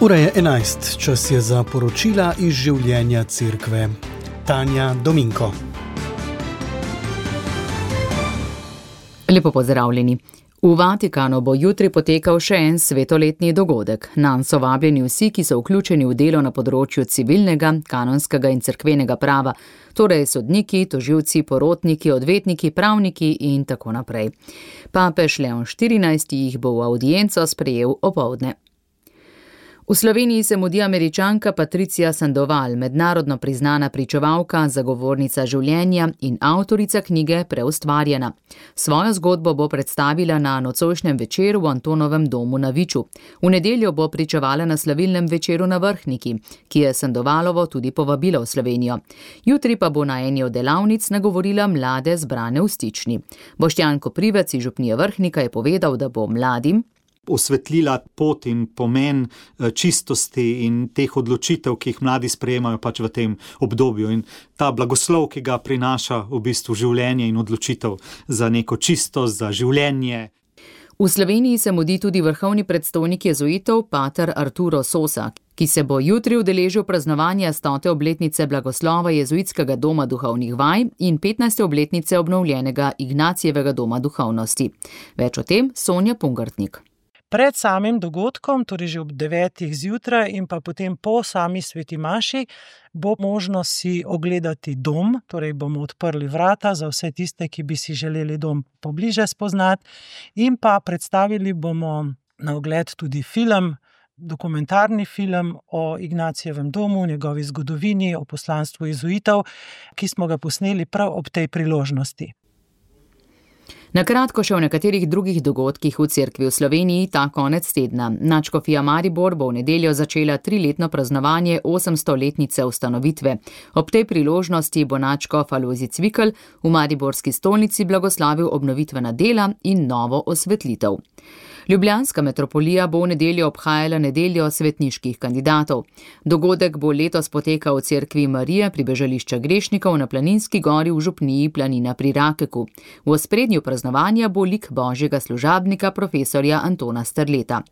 Ura je 11, čas je za poročila iz življenja cerkve. Tanja Dominko. Lepo pozdravljeni. V Vatikanu bo jutri potekal še en svetoletni dogodek. Nanj so vabljeni vsi, ki so vključeni v delo na področju civilnega, kanonskega in cerkvenega prava, torej sodniki, tožilci, porotniki, odvetniki, pravniki in tako naprej. Papež Leon XIV jih bo v avdienco sprejel opoldne. V Sloveniji se mudi Američanka Patricia Sandoval, mednarodno priznana pričevalka, zagovornica življenja in avtorica knjige Preustvarjena. Svojo zgodbo bo predstavila na nocojšnjem večeru v Antonovem domu na Viču. V nedeljo bo pričevala na slavilnem večeru na Vrhniki, ki je Sandovalovo tudi povabila v Slovenijo. Jutri pa bo na eni od delavnic nagovorila mlade zbrane v Stični. Boštjan Koprivec iz župnije Vrhnika je povedal, da bo mladim osvetlila pot in pomen čistosti in teh odločitev, ki jih mladi sprejemajo pač v tem obdobju. In ta blagoslov, ki ga prinaša v bistvu življenje in odločitev za neko čistost, za življenje. V Sloveniji se mudi tudi vrhovni predstojnik jezuitov, pater Arturo Sosa, ki se bo jutri udeležil praznovanja 100. obletnice blagoslova jezuitskega doma duhovnih vaj in 15. obletnice obnovljenega Ignacijevega doma duhovnosti. Več o tem Sonja Pungartnik. Pred samim dogodkom, torej že ob 9. zjutraj in pa potem po sami sveti maši, bo možno si ogledati dom, torej bomo odprli vrata za vse tiste, ki bi si želeli dom pobliže spoznati, in pa predstavili bomo na ogled tudi film, dokumentarni film o Ignacijevem domu, njegovi zgodovini, o poslanstvu jezuitov, ki smo ga posneli prav ob tej priložnosti. Na kratko še o nekaterih drugih dogodkih v cerkvi v Sloveniji ta konec tedna. Nadškofija Maribor bo v nedeljo začela 3-letno praznovanje 800-letnice ustanovitve. Ob tej priložnosti bo nadškof Alojzij Cvikl v mariborski stolnici blagoslavil obnovitvena dela in novo osvetlitev. Ljubljanska metropolija bo v nedeljo obhajala nedeljo svetniških kandidatov. Dogodek bo letos potekal v cerkvi Marije pribežališča grešnikov na Planinski gori v župniji Planina pri Rakeku. V ospredju praznovanja bo lik božjega služabnika profesorja Antona Strleta.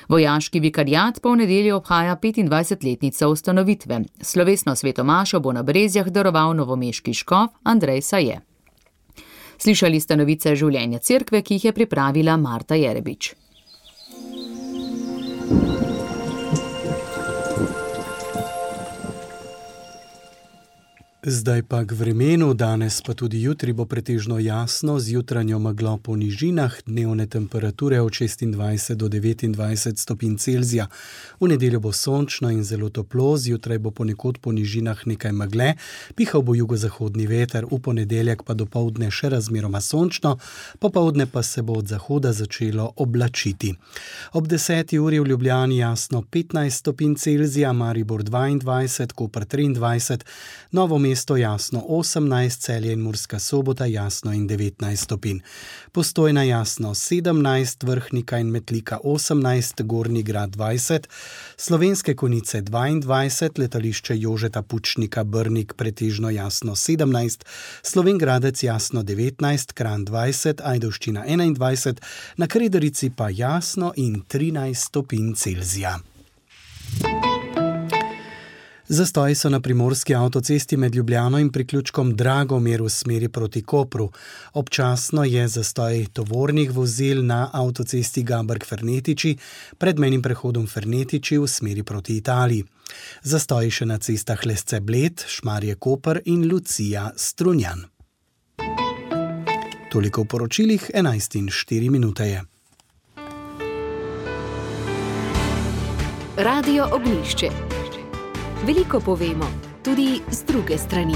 Vojaški vikariat pa v nedeljo obhaja 25-letnico ustanovitve. Slovesno svetomašo bo na Brezjah daroval novomeški škof Andrej Saje. Slišali ste novice življenja cerkve, ki jih je pripravila Marta Jerebič. Zdaj pa k vremenu, danes pa tudi jutri bo pretežno jasno, z jutranjo meglo po nižinah, dnevne temperature od 26 do 29 stopinj Celzija. V nedeljo bo sončno in zelo toplo, zjutraj bo ponekod po nižinah nekaj megle, pihal bo jugozahodni veter, v ponedeljek pa dopoldne še razmeroma sončno, popoldne pa se bo od zahoda začelo oblačiti. Ob 10. uri v Ljubljani jasno 15 stopinj Celzija, Maribor 22, Koper 23, Novo mesto jasno 18, Celje in Murska Sobota jasno in 19 stopinj. Postojna jasno 17, Vrhnika in Metlika 18, Gornji Grad 20, Slovenske Konjice 22, letališče Jožeta Pučnika Brnik pretežno jasno 17, Slovenj Gradec jasno 19, Kranj 20, Ajdovščina 21, na Krederici pa jasno in 13 stopinj Celzija. Zastoji so na primorski avtocesti med Ljubljano in priključkom Dragomir v smeri proti Kopru. Občasno je zastoj tovornih vozil na avtocesti Gaberg-Fernetiči pred mejnim prehodom Fernetiči v smeri proti Italiji. Zastoji še na cestah Lesce-Bled, Šmarje-Koper in Lucija-Strunjan. Toliko v poročilih, 11:04 je. Radio Ognjišče. Veliko povemo, tudi z druge strani.